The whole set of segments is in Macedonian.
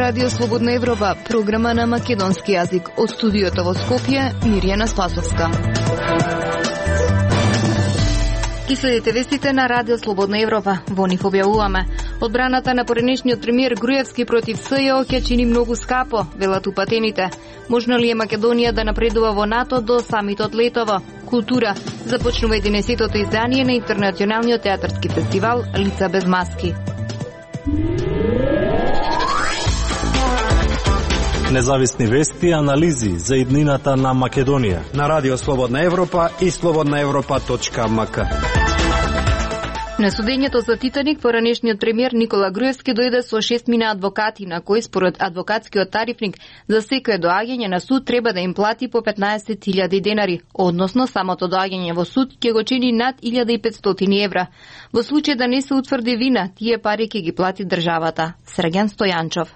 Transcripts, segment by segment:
Радио Слободна Европа, програма на македонски јазик. Од студиото во Скопје, Мирјана Спасовска. Ки следите вестите на Радио Слободна Европа. Во нив објавуваме: одбраната на поранешниот премиер Груевски против СЈО ќе чини многу скапо, велат упатените. Можно ли е Македонија да напредува во НАТО до самитот летово? Култура. Започнува 11-тото издание на интернационалниот театарски фестивал Лица без маски. Независни вести и анализи за иднината на Македонија на Радио Слободна Европа и slobodnaevropa.mk. На судењето за Титаник, поранешниот премиер Никола Груевски дојде со 6 мина адвокати, на кои според адвокатскиот тарифник за секое доаѓање на суд треба да им плати по 15.000 денари, односно самото доаѓање во суд ќе го чини над 1.500 евра. Во случај да не се утврди вина, тие пари ќе ги плати државата. Сраган Стојанчов.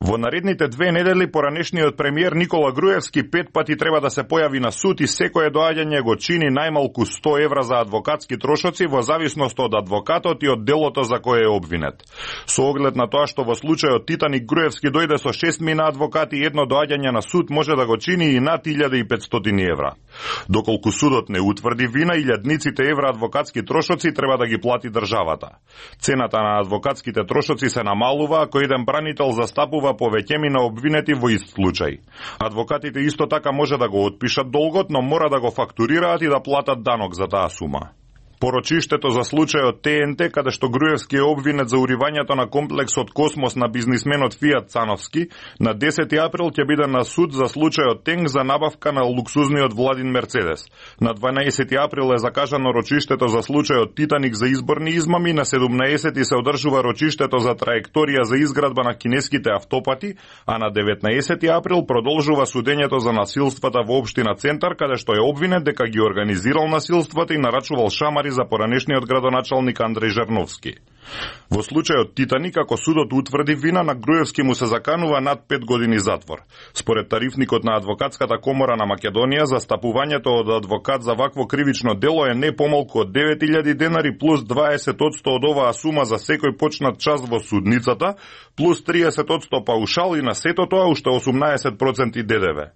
Во наредните 2 недели поранешниот премиер Никола Груевски 5 пати треба да се појави на суд и секое доаѓање го чини најмалку 100 евра за адвокатски трошоци во зависност од адвокатот и од делото за кое е обвинет. Со оглед на тоа што во случајот Титаник Груевски дојде со 6 мина адвокати и едно доаѓање на суд може да го чини и над 1.500 евра. Доколку судот не утврди вина, илјадниците евра адвокатски трошоци треба да ги плати државата. Цената на адвокатските трошоци се намалува ако еден бранител застапува повеќеми на обвинети во ист случај. Адвокатите исто така може да го отпишат долгот, но мора да го фактурираат и да платат данок за таа сума. Порочиштето за случајот ТНТ, каде што Груевски е обвинет за уривањето на комплексот Космос на бизнисменот Фијат Цановски, на 10 април ќе биде на суд за случајот Тенг за набавка на луксузниот Владин Мерцедес. На 12 април е закажано рочиштето за случајот Титаник за изборни измами, на 17 се одржува рочиштето за траекторија за изградба на кинеските автопати, а на 19 април продолжува судењето за насилствата во општина Центар, каде што е обвинет дека ги организирал насилствата и нарачувал шамари за поранешниот градоначалник Андреј Жарновски. Во случајот Титаник, ако судот утврди вина, на Груевски му се заканува над 5 години затвор. Според тарифникот на Адвокатската комора на Македонија, застапувањето од адвокат за вакво кривично дело е не помалку од 9.000 денари плюс 20% од оваа сума за секој почнат час во судницата, плюс 30% паушал и на сето тоа уште 18% ДДВ.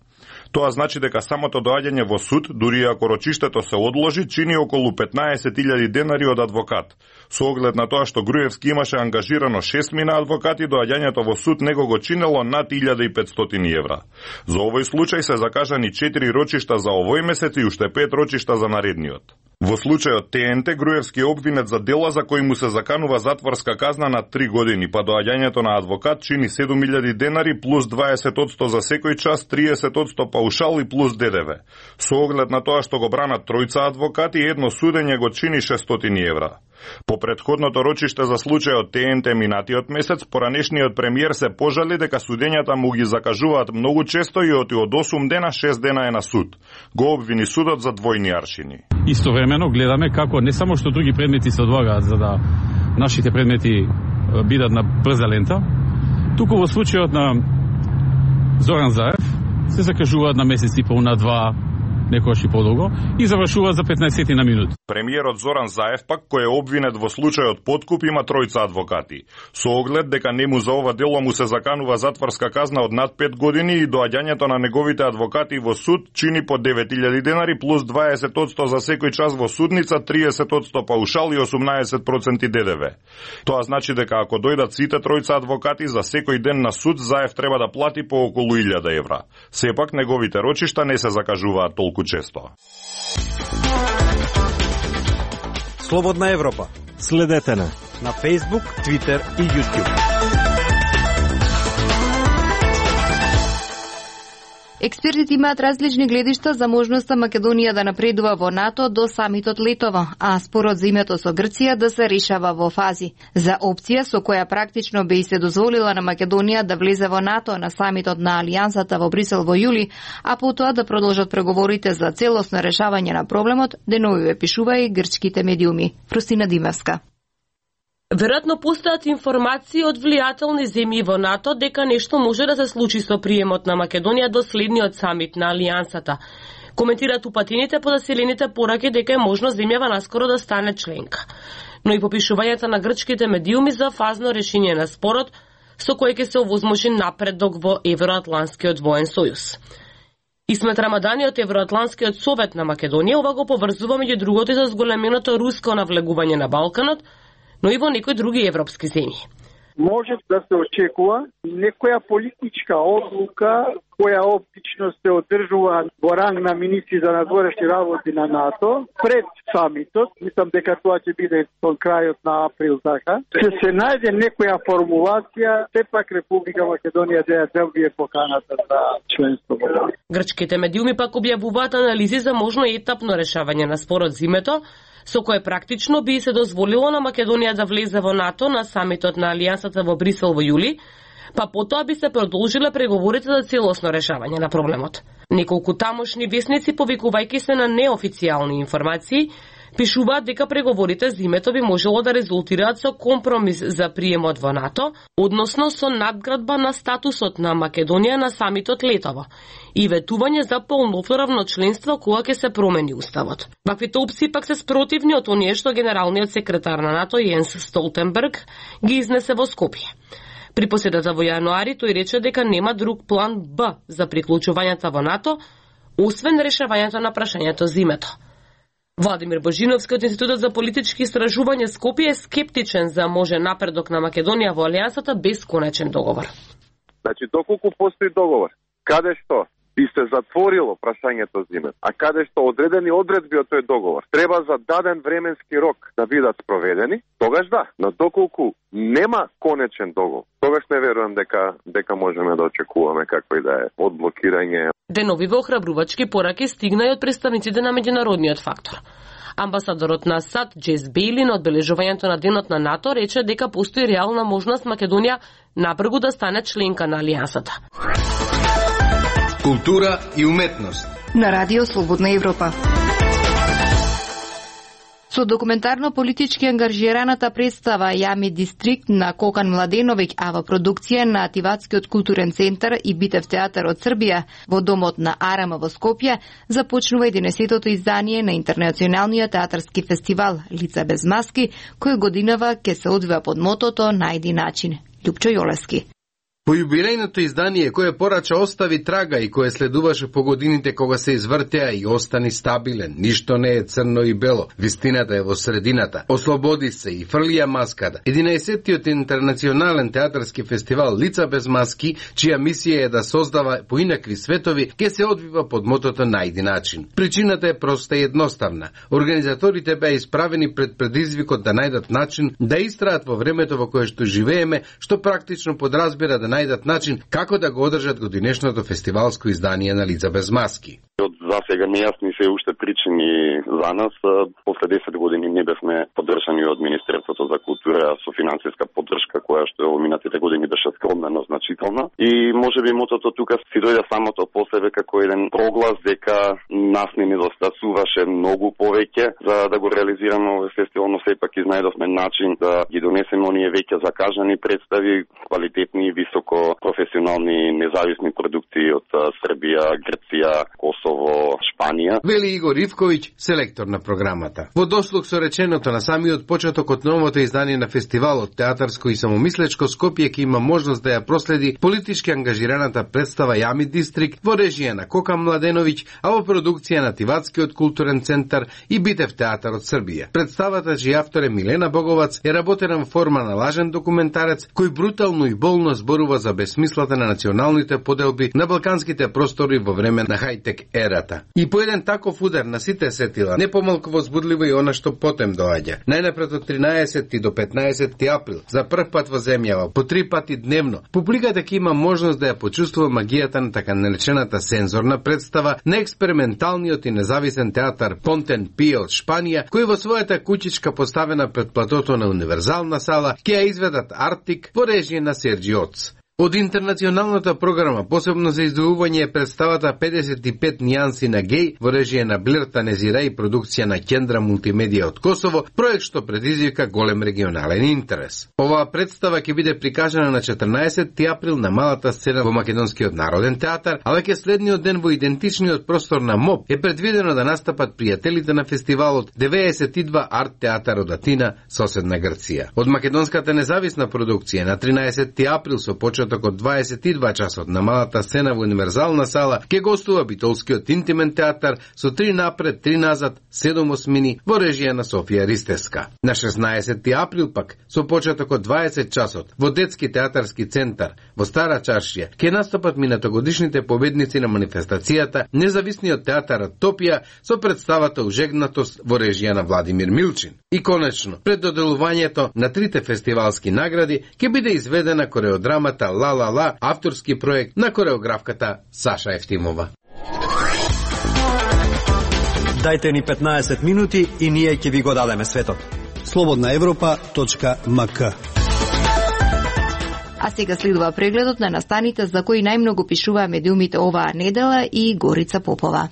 Тоа значи дека самото доаѓање во суд, дури ако рочиштето се одложи, чини околу 15.000 денари од адвокат. Со оглед на тоа што Груевски имаше ангажирано 6 мина адвокати, доаѓањето во суд него го чинело над 1.500 евра. За овој случај се закажани 4 рочишта за овој месец и уште 5 рочишта за наредниот. Во случајот ТНТ, Груевски е обвинет за дела за кои му се заканува затворска казна на 3 години, па доаѓањето на адвокат чини 7.000 денари плюс 20% за секој час, 30% паушал и плюс ДДВ. Со оглед на тоа што го бранат тројца адвокати, едно судење го чини 600 евра. По претходното рочиште за случајот ТНТ минатиот месец, поранешниот премиер се пожали дека судењата му ги закажуваат многу често и од 8 дена 6 дена е на суд. Го обвини судот за двојни аршини. Истовремено гледаме како не само што други предмети се одлагаат за да нашите предмети бидат на брза лента, туку во случајот на Зоран Заев се закажуваат на месец и пол, на 2, некојаш и подолго, и завршува за 15 на минути. Премиерот Зоран Заев пак, кој е обвинет во случајот подкуп, има тројца адвокати. Со оглед дека нему за ова дело му се заканува затворска казна од над 5 години и доаѓањето на неговите адвокати во суд чини по 9.000 денари плюс 20% за секој час во судница, 30% паушал и 18% ДДВ. Тоа значи дека ако дојдат сите тројца адвокати за секој ден на суд, Заев треба да плати по околу 1.000 евра. Сепак неговите рочишта не се закажуваат толку често. Слободна Европа. Следете на Facebook, Twitter и YouTube. Експертите имаат различни гледишта за можноста Македонија да напредува во НАТО до самитот летово, а спорот за името со Грција да се решава во фази. За опција со која практично би се дозволила на Македонија да влезе во НАТО на самитот на Алијансата во Брисел во јули, а потоа да продолжат преговорите за целосно решавање на проблемот, денови пишува и грчките медиуми. Фрустина Димевска. Веројатно постојат информации од влијателни земји во НАТО дека нешто може да се случи со приемот на Македонија до следниот самит на Алијансата. Коментираат упатените подоселените пораки дека е можно земјава наскоро да стане членка. Но и попишувањата на грчките медиуми за фазно решение на спорот со кој ќе се овозможи напредок во Евроатланскиот воен сојуз. Исмет Рамадани од Евроатланскиот совет на Македонија ова го поврзува меѓу другото и со зголеменото руско навлегување на Балканот, но и во некои други европски земји. Може да се очекува некоја политичка одлука која обично се одржува во ранг на министри за надворешни работи на НАТО пред самитот. Мислам дека тоа ќе биде со крајот на април, така. Се најде некоја формулација, сепак Република Македонија да добие поканата за членство во НАТО. Грчките медиуми пак објавуваат анализи за можно етапно решавање на спорот зимето, со кое практично би се дозволило на Македонија да влезе во НАТО на самитот на Алијансата во Брисел во јули, па потоа би се продолжиле преговорите за целосно решавање на проблемот. Неколку тамошни весници, повикувајќи се на неофицијални информации, пишуваат дека преговорите зимето би можело да резултираат со компромис за приемот во НАТО, односно со надградба на статусот на Македонија на самитот летово и ветување за полноправно членство кога ќе се промени уставот. Ваквите опции пак се спротивни од оние што генералниот секретар на НАТО Јенс Столтенберг ги изнесе во Скопје. При поседата во јануари тој рече дека нема друг план Б за приклучувањето во НАТО, освен решавањето на прашањето зимето. Владимир Божиновски од Институтот за политички истражувања Скопје е скептичен за можен напредок на Македонија во Алијансата без конечен договор. Значи, доколку постои договор, каде што би се затворило прашањето зиме, а каде што одредени одредби од тој договор треба за даден временски рок да бидат спроведени, тогаш да, но доколку нема конечен договор, тогаш не верувам дека можеме да очекуваме какво и да е одблокирање. Деновиве охрабрувачки пораки стигна и од представниците на меѓународниот фактор. Амбасадорот на САД Джес Бейли на одбележувањето на денот на НАТО рече дека постои реална можност Македонија набрзо да стане членка на Алијансата. Култура и уметност на Радио Слободна Европа. Со документарно-политички ангажираната представа Јами Дистрикт на Кокан Младеновиќ, а во продукција на Ативатскиот културен центар и Битев театар од Србија во домот на Арама во Скопје, започнува 11-тото издание на Интернационалниот театарски фестивал Лица без маски, кој годинава ќе се одвива под мотото Најди начин. Љупчо Јолески. По јубилејното издание, кое порача остави трага и кое следуваше по годините кога се извртеа и остани стабилен, ништо не е црно и бело, вистината е во средината, ослободи се и фрлија маската. 11-тиот интернационален театарски фестивал Лица без маски, чија мисија е да создава поинакви светови, ќе се одвива под мотото Најди начин. Причината е проста и едноставна. Организаторите беа исправени пред предизвикот да најдат начин да истраат во времето во кое што живееме, што практично подразбира да најдат начин како да го одржат годинешното фестивалско издание на Лица без маски. Од засега нејасни се уште причини за нас. После 10 години не бевме поддржани од Министерството за култура со финансиска поддршка, која што во минатите години беше скромна, но значителна. И можеби мотото тука си дојде самото по себе како еден проглас дека нас не недостасуваше многу повеќе за да го реализираме овој фестивал, но сепак изнајдовме начин да ги донесеме оние веќе закажани представи, квалитетни и високо професионални независни продукции од Србија, Грција, Косово, Шпанија. Вели Игор Ивковиќ, селектор на програмата. Во дослуг со реченото на самиот почеток од новото издание на фестивалот театарско и самомислечко, Скопје ќе има можност да ја проследи политички ангажираната представа Јами Дистрикт во режија на Кокан Младеновиќ, а во продукција на Ативатскиот културен центар и Битев театар од Србија. Представата, чиј автор е Милена Боговац, е работена во форма на лажен документарец кој брутално и болно зборува за безсмислата на националните поделби на балканските простори во време на хајтек ерата. И по еден таков удар на сите сетила, не помалку возбудливо и она што потем доаѓа. Најнапред од 13 до 15 април, за прв пат во земјава, по 3 пати дневно, публиката ќе има можност да ја почувствува магијата на така наречената сензорна представа на експерименталниот и независен театар Понтен Пие од Шпанија, кој во својата куќичка поставена пред платото на универзална сала ќе ја изведат Артик во режија на Серджи Оц. Од интернационалната програма посебно за издвојување е представата 55 нијанси на геј во режија на Блер Танезира и продукција на Кендра Мултимедија од Косово, проект што предизвика голем регионален интерес. Оваа представа ќе биде прикажана на 14 април на малата сцена во Македонскиот народен театар, а веќе следниот ден во идентичниот простор на МОБ е предвидено да настапат пријателите на фестивалот 92 арт театар од Атина, соседна Грција. Од македонската независна продукција на 13 април со почеток од 22 часот на малата сцена во Универзална сала ќе гостува битолскиот интимен театар со 3 напред, 3 назад, 7 осмини во режија на Софија Ристевска. На 16 април пак со почеток од 20 часот во Детски театарски центар во Стара Чаршија ќе настапат минатогодишните победници на манифестацијата Независниот театар Топија со представата Ужегнатост во режија на Владимир Милчин. И конечно, пред доделувањето на 3 фестивалски награди ќе биде изведена кореодрамата Ла Ла Ла, авторски проект на кореографката Саша Ефтимова. Дајте ни 15 минути и ние ќе ви го дадеме светот. slobodnaevropa.mk. А сега следува прегледот на настаните за кои најмногу пишуваа медиумите оваа недела и Горица Попова.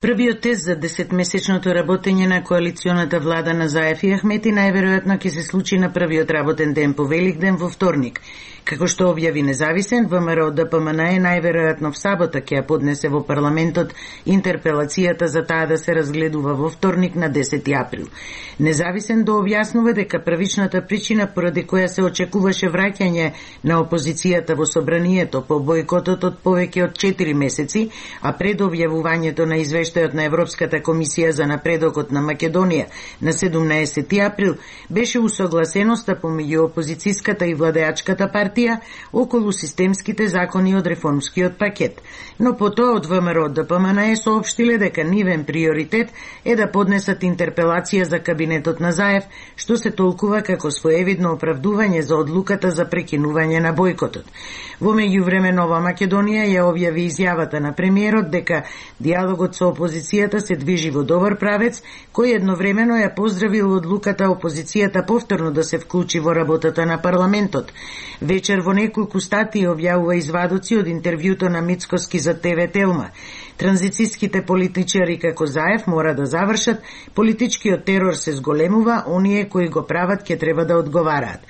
Првиот тест за 10-месечното работење на коалиционата влада на Заев и Ахмети најверојатно ќе се случи на првиот работен ден по Великден во вторник. Како што објави независен, ВМРО ДПМН најверојатно в сабота ќе ја поднесе во парламентот интерпелацијата за таа да се разгледува во вторник на 10 април. Независен дообјаснува дека првичната причина поради која се очекуваше враќање на опозицијата во собранието по бојкотот од повеќе од 4 месеци, а пред објавувањето на извештајот на Европската комисија за напредокот на Македонија на 17 април, беше усогласеноста помеѓу опозицијската и владеачката партија околу системските закони од реформскиот пакет. Но потоа од ВМРО ДПМН соопштиле дека нивен приоритет е да поднесат интерпелација за кабинетот на Заев, што се толкува како своевидно оправдување за одлуката за прекинување на бојкотот. Во меѓувреме Нова Македонија ја објави изјавата на премиерот дека диалогот со опозицијата се движи во добар правец, кој едновремено ја поздравил одлуката опозицијата повторно да се вклучи во работата на парламентот. Вечер во неколку статии објавува извадоци од интервјуто на Мицкоски за ТВ Телма. Транзицијските политичари како Заев мора да завршат, политичкиот терор се зголемува, оние кои го прават ќе треба да одговараат.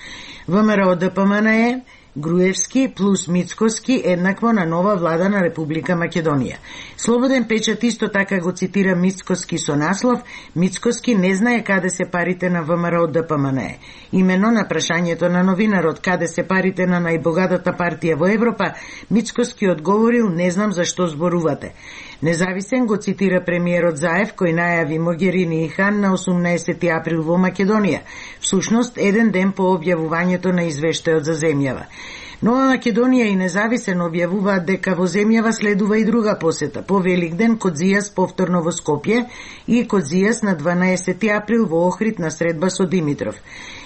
ВМРО ДПМН е Груевски плюс Мицкоски еднакво на нова влада на Република Македонија. Слободен печат исто така го цитира Мицкоски со наслов «Мицкоски не знае каде се парите на ВМРО ДПМН». Имено на прашањето на новинарот каде се парите на најбогатата партија во Европа, Мицкоски одговорил «Не знам зашто зборувате». Независен го цитира премиерот Заев, кој најави Могерини и Хан на 18 април во Македонија, всушност еден ден по објавувањето на извештајот за земјава. Нова Македонија и Независен објавуваат дека во земјава следува и друга посета. По Великден Кодзијас повторно во Скопје и Кодзијас на 12 април во Охрид на средба со Димитров.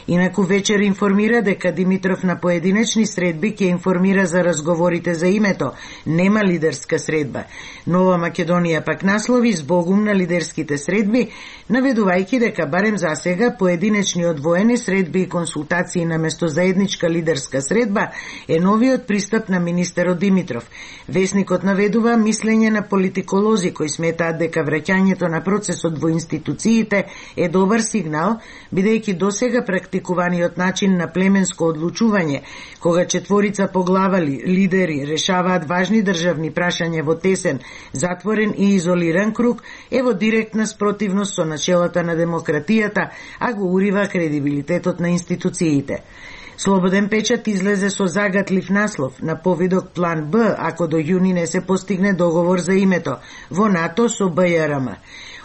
Инаку вечер информира дека Димитров на поединечни средби ќе информира за разговорите за името. Нема лидерска средба. Нова Македонија пак наслови збогум на лидерските средби, наведувајќи дека барем за сега поединечни одвоени средби и консултации наместо заедничка лидерска средба е новиот пристап на министерот Димитров. Весникот наведува мислење на политиколози кои сметаат дека враќањето на процесот во институциите е добар сигнал, бидејќи досега практикуваниот начин на племенско одлучување, кога четворица поглавали лидери решаваат важни државни прашања во тесен, затворен и изолиран круг, е во директна спротивност со начелата на демократијата, а го урива кредибилитетот на институциите. Слободен печат излезе со загатлив наслов на повидок план Б ако до јуни не се постигне договор за името во НАТО со БЈРМ.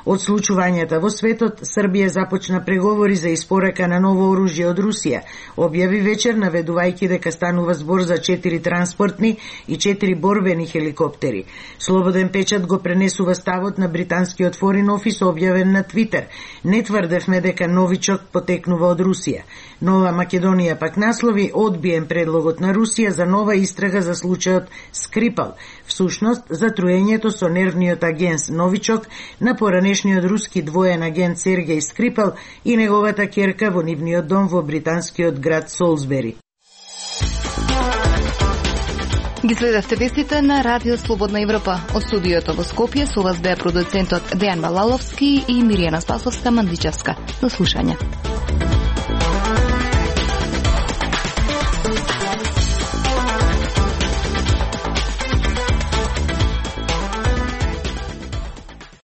Од случувањата во светот, Србија започна преговори за испорака на ново оружје од Русија. Објави вечер наведувајќи дека станува збор за 4 транспортни и 4 борбени хеликоптери. Слободен печат го пренесува ставот на британскиот форин офис објавен на Твитер. Не тврдевме дека новичок потекнува од Русија. Нова Македонија пак наслови одбиен предлогот на Русија за нова истрага за случајот Скрипал, всушност за труењето со нервниот агент Новичок на поранешниот руски двоен агент Сергеј Скрипал и неговата ќерка во нивниот дом во британскиот град Солсбери. Ги следевте вестите на Радио Слободна Европа. Од студиото во Скопје со вас беа продуцентот Дејан Малаловски и Миријана Спасовска-Мандичевска. До слушање.